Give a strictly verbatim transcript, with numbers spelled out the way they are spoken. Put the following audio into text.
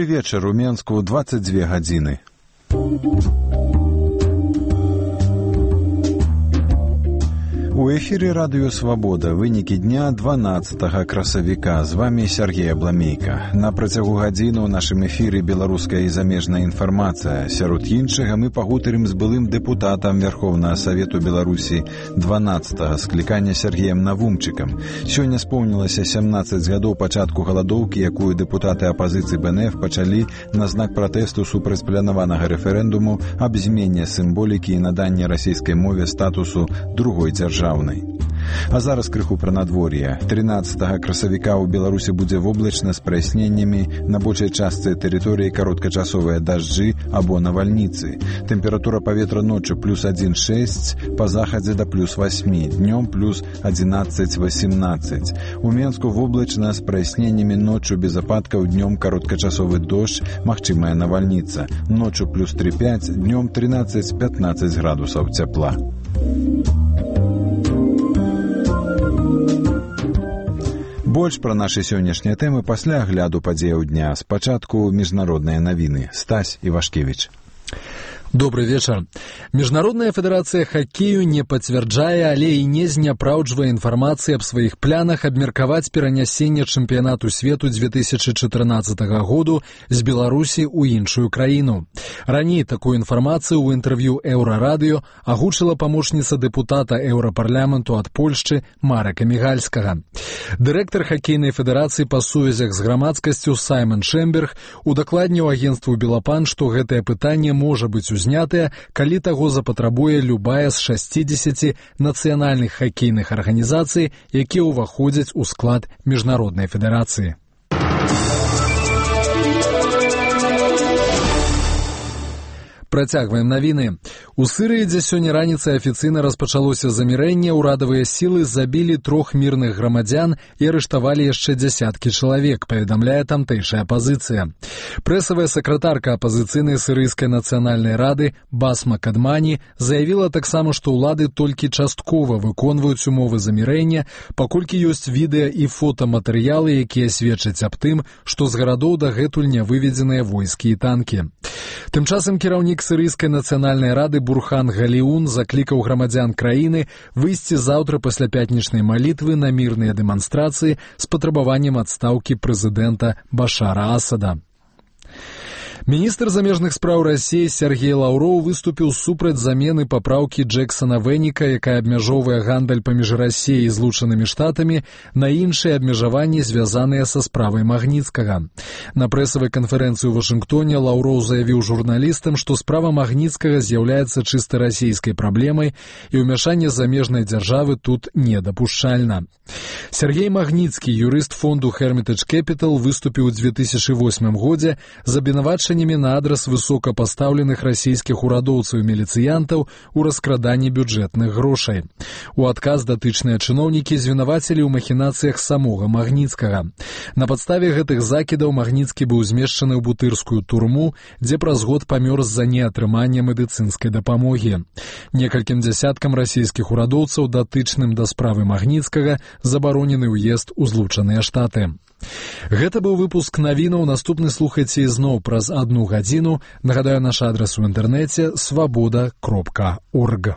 вечар, у Менску дваццаць дзве гадзіны. У эфіры радыё «Свабода». Вынікі дня дванаццатага красавіка. З вами Сергей Абламейка. На працягу гадзіны ў нашым эфіры беларуская і замежная інфармацыя. Сярод іншага мы пагутарым з былым дэпутатам Верховнага Савету Беларусі дванаццатага склікання Сергеем Навумчыкам. Сёння споўнілася сямнаццаць гадоў пачатку галадоўкі, якую дэпутаты апазіцыі бэ эн эф пачалі на знак пратэсту супраць планаванага рэферэндуму аб змене сімволікі і наданні расійскай мове статусу другой дзяржавы. А зараз крыху пра надвор'е. трынаццатага красавіка ў Беларусі будзе воблачна з праясненнямі, на большай частцы тэрыторыі кароткачасовыя дажджы або навальніцы. Тэмпература паветра ноччу плюс адзін шэсць, па захадзе да плюс васьмі, днём плюс адзінаццаць васемнаццаць. У Менску воблачна з праясненнямі, ноччу без ападкаў, днём кароткачасовы дождж, магчымая навальніца. Ноччу плюс тры пяць, днём трынаццаць пятнаццаць градусаў цяпла. Больш пра нашы сённяшнія тэмы пасля агляду падзеяў дня. Спачатку міжнародныя навіны. Стась Івашкевіч. Добрый вечер. Международная федерация хоккею не подтверждая, але и не зняпраўджвае информации об своих планах абмеркаваць перанясенне чэмпіянату свету две тысячи четырнадцатого году з Беларусі ў іншую краіну. Раней такую информацию ў інтэрв'ю Еўрарадыё агучыла памочніца дэпутата Еўрапарламенту ад Польшчы Марека Мігальскага. Дырэктар хоккейнай федэрацыі па сувязях з грамадскасцю Саймон Шэмберг удакладніў агенцтву Белапан, што гэтае пытанне можа быць узнятыя, калі таго запатрабуе любая з шасцідзесяці нацыянальных хакейных арганізацый, якія ўваходзяць у склад міжнароднай федэрацыі. Працягваем навіны. У Сырыі, дзе сёння раніцай афіцыйна распачалося замірэнне, урадавыя сілы забілі трох мірных грамадзян і арыштавалі яшчэ дзясяткі чалавек, паведамляе тамтэйшая апазіцыя. Прэсавая сакратарка апазіцыйнай сырыйскай нацыянальнай рады Басма Кадмані заявіла таксама, што ўлады толькі часткова выконваюць умовы замірэння, паколькі ёсць відэа і фотаматэрыялы, якія сведчаць аб тым, што з гарадоў дагэтуль не выведзеныя войскі і танкі. Тым часам кіраўнік сырыйскай нацыянальнай рады Бурхан Галіун заклікаў грамадзян краіны выйсці заўтра пасля пятнічнай малітвы на мірныя дэманстрацыі з патрабаваннем адстаўкі прэзідэнта Башара Асада. Міністр замежных спраў Расіі Сергей Лаўроў выступіў супраць замены папраўкі Джексона Вэніка, якая абмяжоўвае гандаль паміж Расіяй і Злучанымі Штатамі, на іншыя абмежаванні, звязаныя са справай Магніцкага. На прэсавай канферэнцыі ў Вашынгтоне Лаўроў заявіў журналістам, што справа Магніцкага з'яўляецца чыста расійскай праблемай і ўмяшанне замежнай дзяржавы тут недапушчальна. Сергей Магніцкі, юрыст фонду Hermitage Capital, выступіў у две тысячи восьмым годзе з абвінавачаннямі на адрас высокапастаўленых расійскіх урадоўцаў і міліцыянтаў у раскраданні бюджэтных грошай. У адказ датычныя чыноўнікі звінавацілі ў махінацыях самога Магніцкага. На падставе гэтых закідаў Магніцкі быў змешчаны ў бутырскую турму, дзе праз год памёр з-за неатрымання медыцынскай дапамогі. Некалькім дзясяткам расійскіх урадоўцаў, датычным да справы Магніцкага, забаронены ўезд у Злучаныя Штаты. Гэта быў выпуск навінаў. Наступны слухайце ізноў праз адну гадзіну. Нагадаю, наш адрас у інтэрнэце свабода кропка орг.